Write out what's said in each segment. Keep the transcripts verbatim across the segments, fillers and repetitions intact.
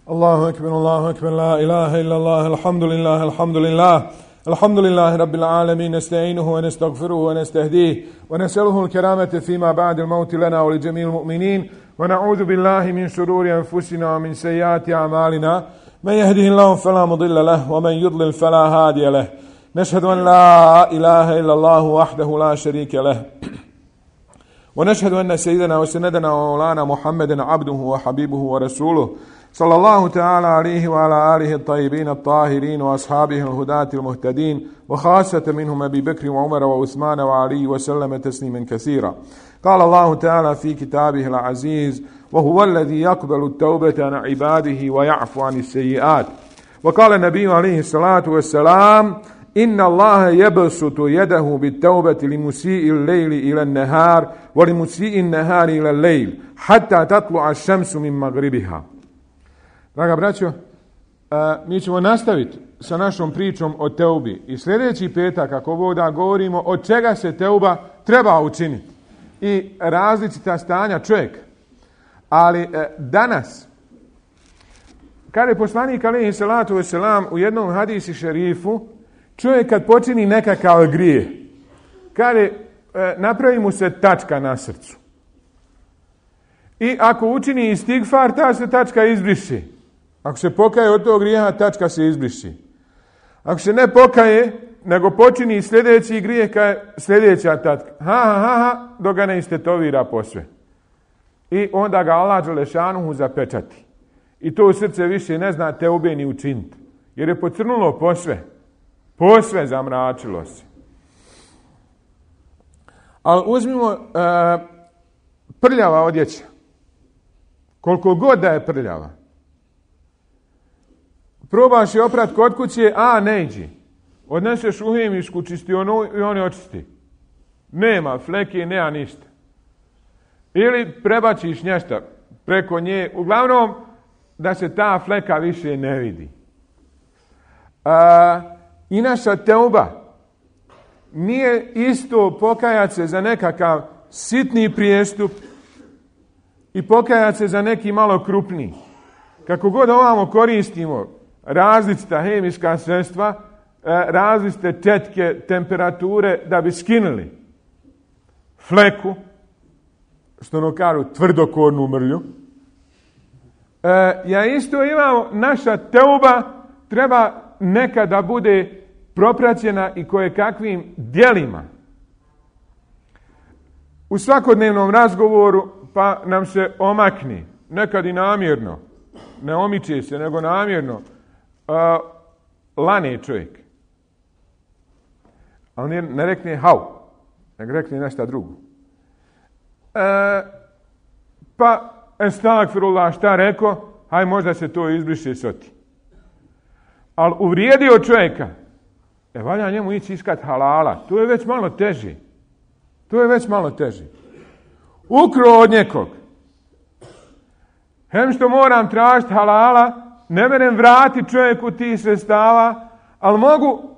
الله أكبر الله أكبر لا إله إلا الله الحمد لله الحمد لله الحمد لله رب العالمين نستعينه ونستغفره ونستهديه ونسأله الكرامة فيما بعد الموت لنا ولجميع المؤمنين ونعوذ بالله من شرور أنفسنا ومن سيئات أعمالنا من يهده الله فلا مضل له ومن يضلل فلا هادي له نشهد أن لا إله إلا الله وحده لا شريك له ونشهد أن سيدنا وسندنا ومولانا محمدا عبده وحبيبه ورسوله صلى الله تعالى عليه وعلى آله الطيبين الطاهرين وأصحابه الهداة المهتدين وخاصة منهم أبي بكر وعمر وعثمان وعلي وسلم تسليما كثيرا. قال الله تعالى في كتابه العزيز: وهو الذي يقبل التوبة عن عباده ويعفو عن السيئات. وقال النبي عليه الصلاة والسلام: إن الله يبسط يده بالتوبة لمسيء الليل إلى النهار ولمسيء النهار إلى الليل حتى تطلع الشمس من مغربها. Draga braćo, mi ćemo nastaviti sa našom pričom o teubi i sljedeći petak, ako Bog da, govorimo od čega se teuba treba učiniti i različita stanja čovjeka. Ali danas, kada je poslanik alejhi salatu vesselam u jednom hadisi šerifu, čovjek kad počini nekakav grijeh, kada napravi mu se tačka na srcu i ako učini istigfar, ta se tačka izbriši. Ako se pokaje od tog grijeha, tačka se izbriši. Ako se ne pokaje, nego počini sljedeći grijeh, sljedeća tačka. Ha, ha, ha, ha, dok ga ne istetovira posve. I onda ga Allah dželešanuhu zapečati. I to u srce više ne zna teube ni učiniti. Jer je pocrnulo posve. Posve zamračilo se. Ali uzmimo uh, prljava odjeća. Koliko god da je prljava. Probaš je oprat kod kuće, a ne iđi. Odneseš u hemijsku čistionu i on je očisti. Nema fleke, nema ništa. Ili prebačiš nešto preko nje, uglavnom da se ta fleka više ne vidi. A, I naša teuba nije isto pokajati se za nekakav sitni prijestup i pokajati se za neki malo krupniji. Kako god ovamo koristimo različita hemijska sredstva, različite četke, temperature da bi skinuli fleku, što ono kažu tvrdokornu mrlju. E, ja isto imamo, naša teuba treba nekada bude propraćena i koje kakvim djelima. U svakodnevnom razgovoru pa nam se omakni, nekad i namjerno, ne omiče se, nego namjerno, Uh, lane čovjek. Ali ne, ne rekne hau, nego rekne nešto drugo. Uh, pa, estagfirullah, šta reko? Haj, možda se to izbriše soti. Ali uvrijedio čovjeka, e, valja njemu ići iskat halala. To je već malo teži. To je već malo teži. Ukro od nekog. Hem što moram tražiti halala, ne merem vrati čovjeku tih sredstava, ali mogu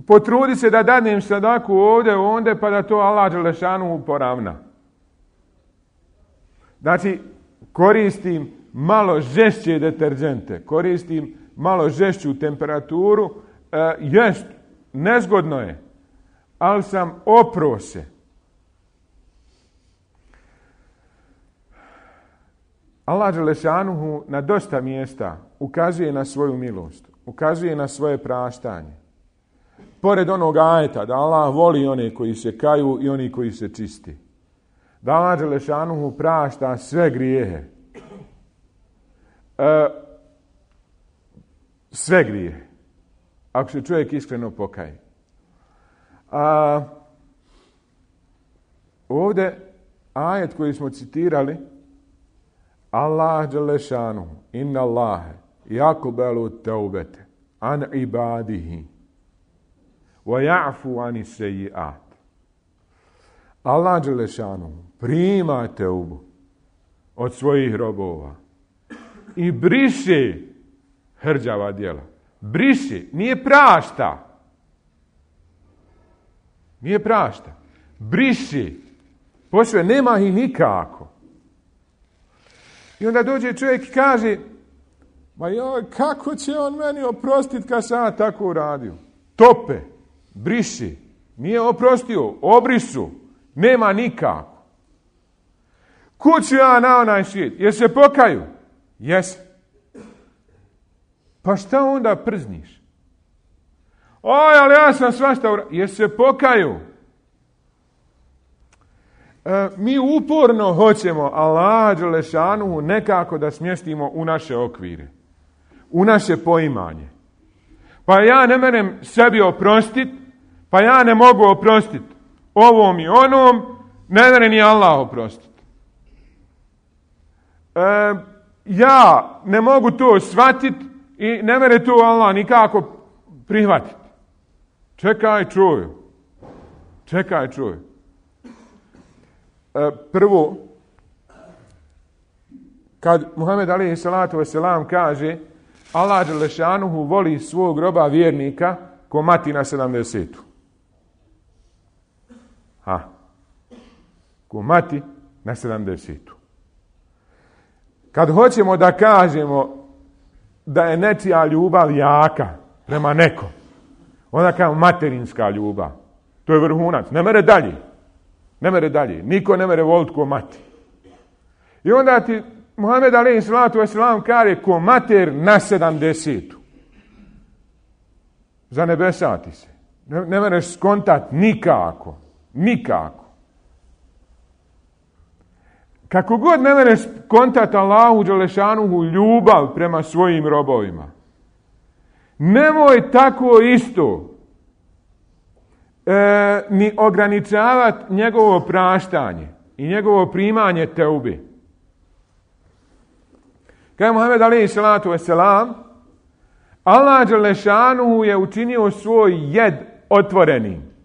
potruditi se da dadnem sadaku ovdje, ovdje, pa da to Allah dželešanu poravna. Znači, koristim malo žešće deterđente, koristim malo žešću temperaturu, e, jest, nezgodno je, ali sam opro se. Allah dželešanuhu na dosta mjesta ukazuje na svoju milost, ukazuje na svoje praštanje. Pored onog ajeta da Allah voli one koji se kaju i oni koji se čisti. Da Allah dželešanuhu prašta sve grijehe. E, sve grijehe. Ako se čovjek iskreno pokaje. A, ovdje ajet koji smo citirali, Allah dželešanu, inna Allahe, yakubelu teubete, an ibadihi, wa ja'fu ani seji'at. Allah dželešanu prima teubu od svojih robova i briše hrđava djela. Briše, nije prašta. Nije prašta. Briše. Posve, nema ih nikako. I onda dođe čovjek i kaže, Ma joj, kako će on meni oprostiti kad sam ja tako uradio? Tope, briši, nije oprostio, obrisu, nema nikako. Kuću ja na onaj svijet, jer se pokaju? Jes. Pa šta onda przniš? Oj, ali ja sam svašta uradio. Jer se pokaju? E, mi uporno hoćemo Allaha dželešanuhu nekako da smjestimo u naše okvire, u naše poimanje. Pa ja ne merem sebi oprostit, pa ja ne mogu oprostit ovom i onom, ne mere ni Allah oprostit. E, ja ne mogu to shvatit i ne mere to Allah nikako prihvatit. Čekaj, čuj. Čekaj, čuj. E, prvo, kad Muhammed alejhi salatu vesselam kaže Allah dželešanuhu voli svog roba vjernika ko mati na sedamdesetu. Ha. Ko mati na sedamdesetu. Kad hoćemo da kažemo da je nečija ljubav jaka prema nekom, onda kao materinska ljubav. To je vrhunac. Ne mere dalje. Ne mere dalje. Niko ne mere voliti ko mati. I onda ti Muhammed alejhi salatu vesselam kaže ko mater na sedamdesetu. Zanebesati se. Ne, ne mereš skontat nikako. Nikako. Kako god ne mereš kontat Allahu dželešanuhu ljubav prema svojim robovima, nemoj tako isto e, ni ograničavati njegovo praštanje i njegovo primanje teube. Kaže Muhammed alejhi salatu vesselam, Allah dželešanuhu je učinio svoj jed otvorenim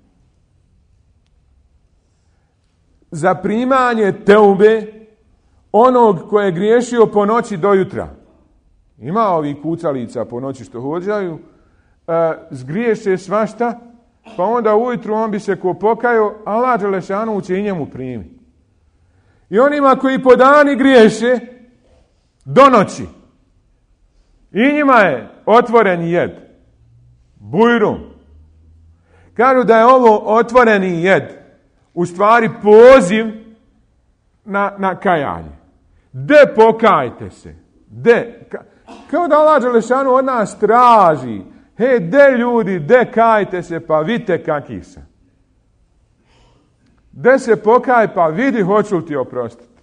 za primanje teube onog koje je griješio po noći do jutra. Ima ovih kucalica po noći što hođaju, e, zgriješe svašta, pa onda ujutru on bi se ko pokajao, Allah dželešanuhu će i njemu primiti. I onima koji po dani griješe do noći, i njima je otvoreni jed. Bujrum. Kažu da je ovo otvoreni jed u stvari poziv na, na kajanje. De pokajte se. De. Kao da Allah dželešanu od nas traži. He, de ljudi, de kajte se, pa vidite kakvi sam. De se pokaj, pa vidi hoću li ti oprostiti.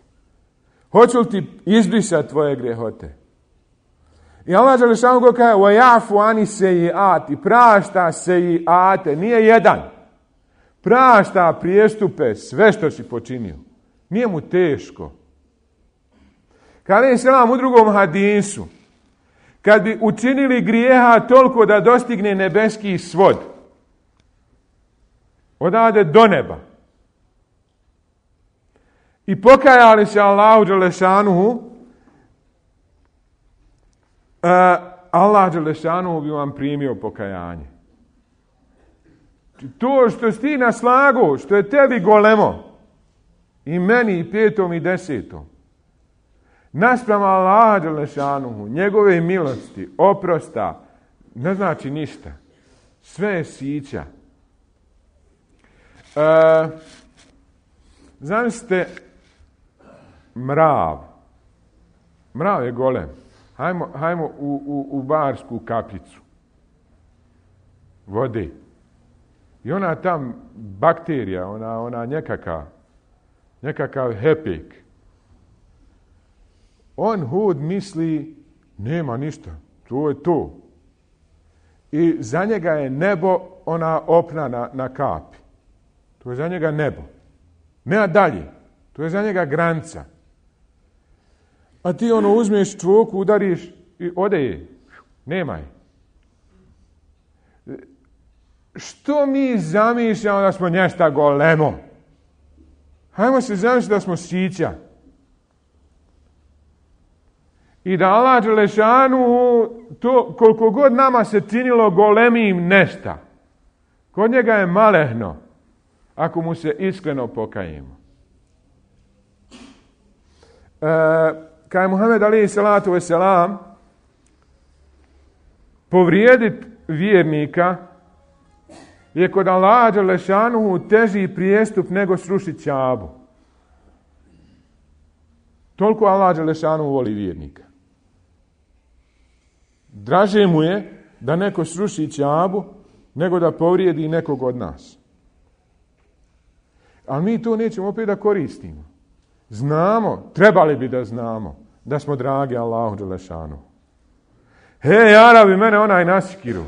Hoću li ti izbrisati tvoje grijehote. I Allah dželešanu go kaže وَيَعْفُ عَنِ سَيِّئَاتِ, prašta sejiate, nije jedan. Prašta prijestupe, sve što si počinio. Nije mu teško. Kada je selam u drugom hadisu, kad bi učinili grijeha toliko da dostigne nebeski svod, odade do neba, i pokajali se Allahu dželešanuhu, uh, Allah dželešanuhu bi vam primio pokajanje. To što si ti na slagu, što je tebi golemo, i meni i petom i desetom, naspram Allaha dželešanuhu, njegove milosti, oprosta, ne znači ništa. Sve je sića. E, zamislite mrav. Mrav je golem. Hajmo, hajmo u, u, u barsku kapljicu vode. I ona tam bakterija, ona, ona nekakav, nekakav hepek. On hud misli, nema ništa, to je to. I za njega je nebo ona opna na, na kapi. To je za njega nebo. Nema dalje. To je za njega granica. A ti ono uzmeš čvoku, udariš i ode je. Nema je. Što mi zamišljamo da smo nješta golemo? Hajmo se zamišljati da smo sića. I da Allah dželešanu, to koliko god nama se činilo golemim nešta, kod njega je malehno, ako mu se iskreno pokajemo. E, kad je Muhammed alejhi salatu vesselam povrijediti vjernika je kod Allaha dželešanuhu teži prijestup nego srušiti Kjabu. Toliko Allah dželešanuhu voli vjernika. Draže mu je da neko sruši Kjabu nego da povrijedi nekog od nas. Ali mi to nećemo opet da koristimo. Znamo, trebali bi da znamo, da smo dragi Allahu dželešanuhu. Hej, Arabi, mene onaj nasikiru.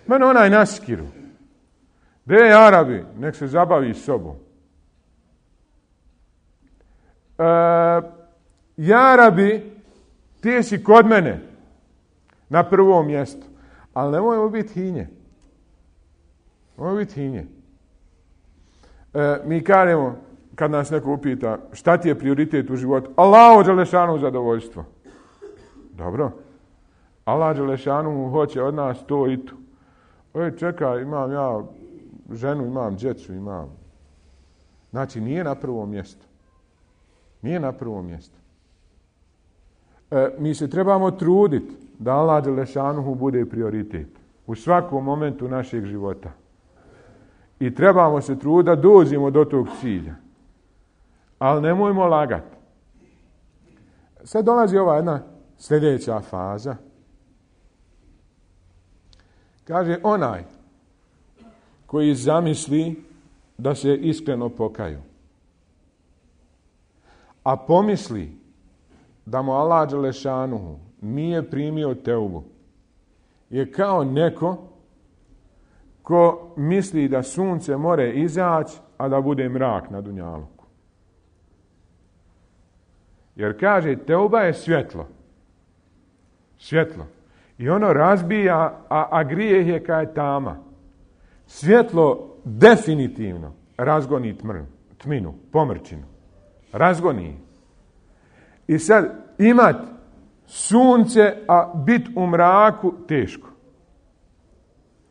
Mene onaj nasikiru. Dej, Arabi, nek se zabavi s sobom. E, Arabi, ti si kod mene na prvom mjestu. Ali nemojmo biti hinje. Nemojmo biti hinje. E, mi kažemo, kad nas neko upita, šta ti je prioritet u životu? Allahu dželešanu zadovoljstvo. Dobro. Allah dželešanu hoće od nas to i to. Oj, čekaj, imam ja ženu, imam djecu, imam. Znači, nije na prvom mjestu. Nije na prvom mjestu. E, mi se trebamo truditi da Allah dželešanuhu bude prioritet u svakom momentu našeg života. I trebamo se truditi da dođemo do tog cilja. Ali nemojmo lagati. Sad dolazi ova jedna sljedeća faza. Kaže, onaj koji zamisli da se iskreno pokaju, a pomisli da mu Allah dželešanuhu nije primio teubu, je kao neko ko misli da sunce more izaći, a da bude mrak na dunjaluku. Jer kaže, teuba je svjetlo. Svjetlo. I ono razbija, a, a grijeh je kao tama. Svjetlo definitivno razgoni tmrn, tminu, pomrčinu. Razgoni. I sad imat sunce, a bit u mraku, teško.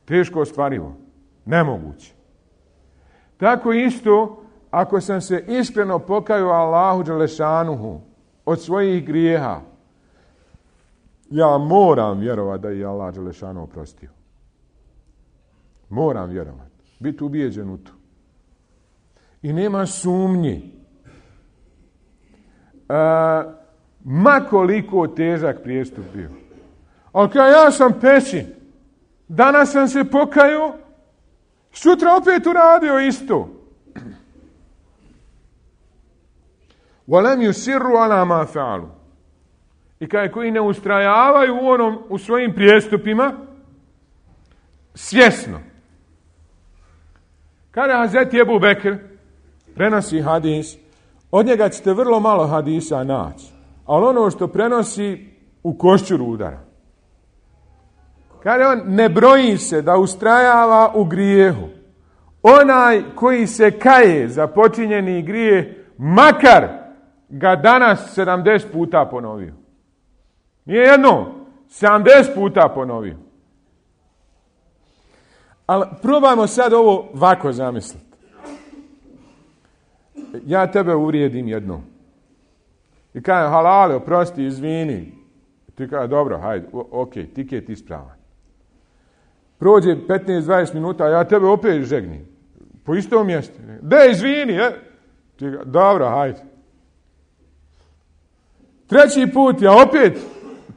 Teško ostvarivo. Nemoguće. Tako isto, ako sam se iskreno pokajao Allahu dželešanuhu od svojih grijeha, ja moram vjerovati da je Allah dželešanu oprostio. Moram vjerovati. Biti ubijeđen u to. I nema sumnji. E, ma koliko težak prijestup bio. Ali kada ja sam pećin, danas sam se pokajao, sutra opet uradio isto. وَلَمْ يُسِرُّ عَلَى مَا فَعَلُوا. I kaj koji ne ustrajavaju u onom, u svojim prijestupima, svjesno. Kada Hazreti Ebu Bekr prenosi hadis, od njega ćete vrlo malo hadisa naći, ali ono što prenosi u košćuru udara. Kada on ne broji se da ustrajava u grijehu, onaj koji se kaje za počinjeni grijeh, makar ga danas sedamdeset puta ponovio. Nije jedno, sedamdeset puta ponovio. Ali probajmo sad ovo ovako zamisliti. Ja tebe uvrijedim jednom. I kažem, halale, oprosti, izvini. Ti kaže, dobro, hajde, ok, ti je ti ispravan. Prođe petnaest dvadeset minuta, ja tebe opet žegnim. Po istom mjestu. De, izvini, je. Ti kaže, dobro, hajde. Treći put, ja opet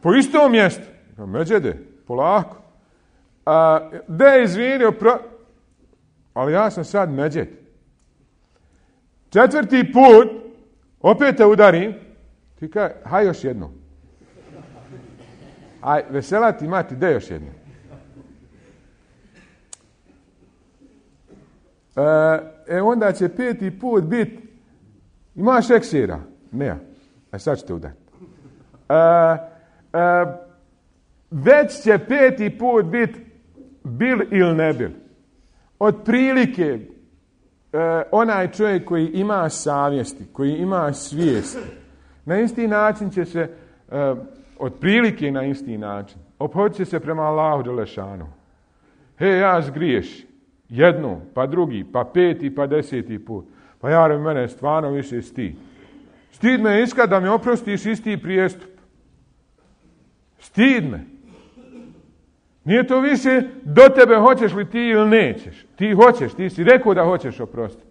po istom mjestu. Međede, polako. A, de, izvini, opro... ali ja sam sad međed. Četvrti put, opet te udarim. Ti kaže, haj još jedno. Aj, vesela ti mati, de još jedno. E, e onda će peti put biti, imaš eksira? Ne. E sad ćete udati. E, e, već će peti put biti bil ili ne bil. Od prilike e, onaj čovjek koji ima savjesti, koji ima svijesti, na isti način će se, e, od prilike na isti način, ophodit će se prema Allahu dželešanu. He, ja zgriješ. Jednu, pa drugi, pa peti, pa deseti put. Pa jare, mene stvarno više stid. Stid me iskad da mi oprostiš isti prijestup. Stid me. Nije to više do tebe hoćeš li ti ili nećeš. Ti hoćeš, ti si rekao da hoćeš oprostiti.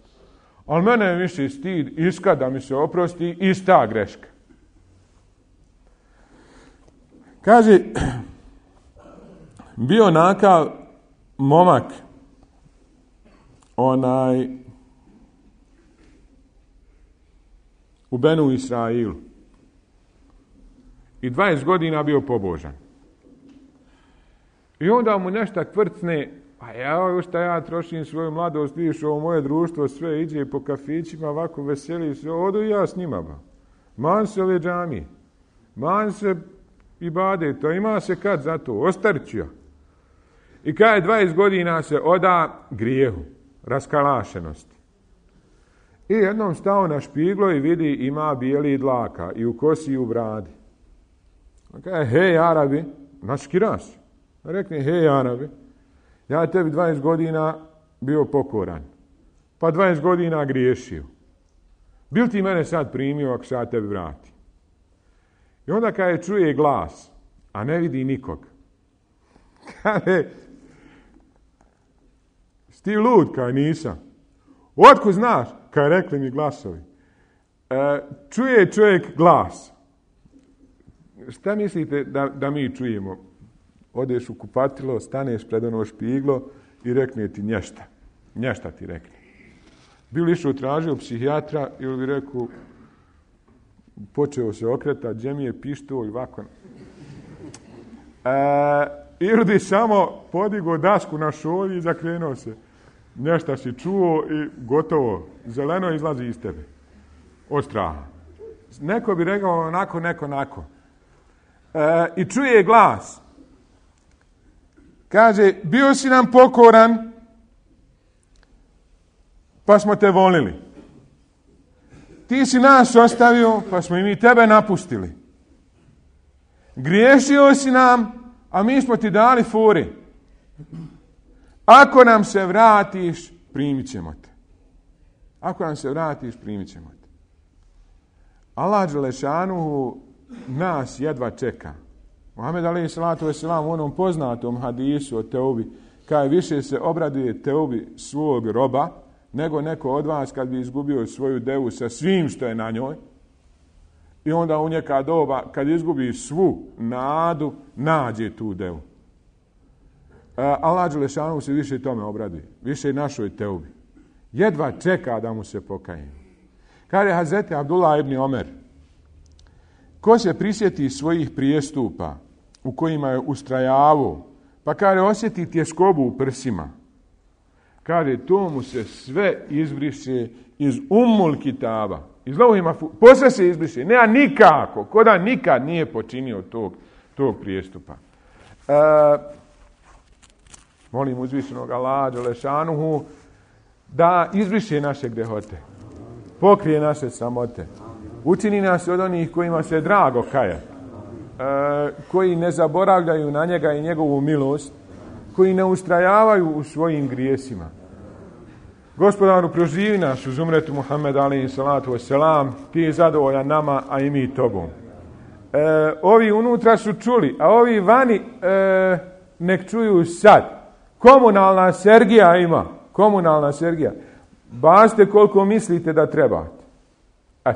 Ali mene je više stid iska da mi se oprosti ista greška. Kaže, bio nakav momak, onaj, u Benu Israilu. I dvadeset godina bio pobožan. I onda mu nešto tvrtne, a ja, šta ja trošim svoju mladost, vidiš, ovo moje društvo sve iđe po kafićima, ovako veseli se, odu i ja s njima. Ba. Man se ove džamije, man se i bade, to ima se kad za to, ostarit ja. I kada je dvadeset godina se oda grijehu, raskalašenosti. I jednom stao na špiglo i vidi ima bijeli dlaka i u kosi i u bradi. On kaže, hej Arabi, naškiras. Rekne, hej Arabi, ja tebi dvadeset godina bio pokoran, pa dvadeset godina griješio. Bil ti mene sad primio ako se ja tebi vrati? I onda kada je čuje glas, a ne vidi nikog, kaže, sti lud, kaj nisam. Otko znaš, kaj rekli mi glasovi. E, čuje čovjek glas. Šta mislite da, da mi čujemo? Odeš u kupatilo, staneš pred ono špiglo i rekne ti nješta. Nješta ti rekne. Bili išao tražio psihijatra ili bi rekao, počeo se okretati, gdje mi je pištolj, ovako. E, ili bi samo podigao dasku na šolji i zakrenuo se. Nešto si čuo i gotovo. Zeleno izlazi iz tebe. Od straha. Neko bi rekao onako, neko onako. E, I čuje glas. Kaže, bio si nam pokoran, pa smo te volili. Ti si nas ostavio, pa smo i mi tebe napustili. Griješio si nam, a mi smo ti dali fore. Ako nam se vratiš, primit ćemo te. Ako nam se vratiš, primit ćemo te. Allah dželešanuhu nas jedva čeka. Muhammed alejhi salatu vesselam u onom poznatom hadisu o teubi, kaže više se obraduje teubi svog roba, nego neko od vas kad bi izgubio svoju devu sa svim što je na njoj. I onda u neka doba, kad izgubi svu nadu, nađe tu devu. Allah dželešanu se više tome obraduje, više našoj teubi. Jedva čeka da mu se pokaje. Kaže Hazreti Abdullah ibn Omer, ko se prisjeti svojih prijestupa u kojima je ustrajavao, pa kaže osjeti tjeskobu u prsima, kaže to mu se sve izbriše iz Ummul Kitaba. Iz Lauhima, posle se izbriše. Nema nikako, ko da nikad nije počinio tog, tog prijestupa. E, molim uzvišenog Allaha dželešanuhu da izbriše naše grehote, pokrije naše samote, učini nas od onih kojima se drago kaja, e, koji ne zaboravljaju na njega i njegovu milost, koji ne ustrajavaju u svojim grijesima. Gospodaru, proživi nas uz umretu Muhammed alejhi salatu vesselam, ti je zadovoljan nama, a i mi tobom. E, ovi unutra su čuli, a ovi vani e, nek čuju sad. Komunalna Sergija ima. Komunalna Sergija. Bacite koliko mislite da trebate. E,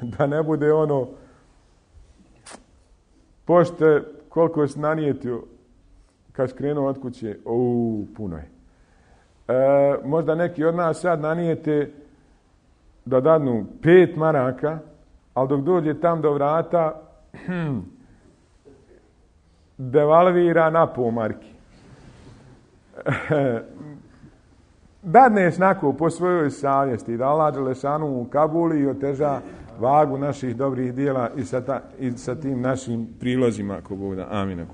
da ne bude ono pošte koliko si nanijetio kad skrenuo od kuće. Uuu, puno je. E, možda neki od nas sad nanijete da dadnu pet maraka, ali dok dođe tam do vrata devalvira na pol marki. E, dadneš nako po svojoj savjesti da Allah dželešanu u Kabuli i oteža vagu naših dobrih dijela i sa, ta, i sa tim našim prilozima ako Bog da. Amin.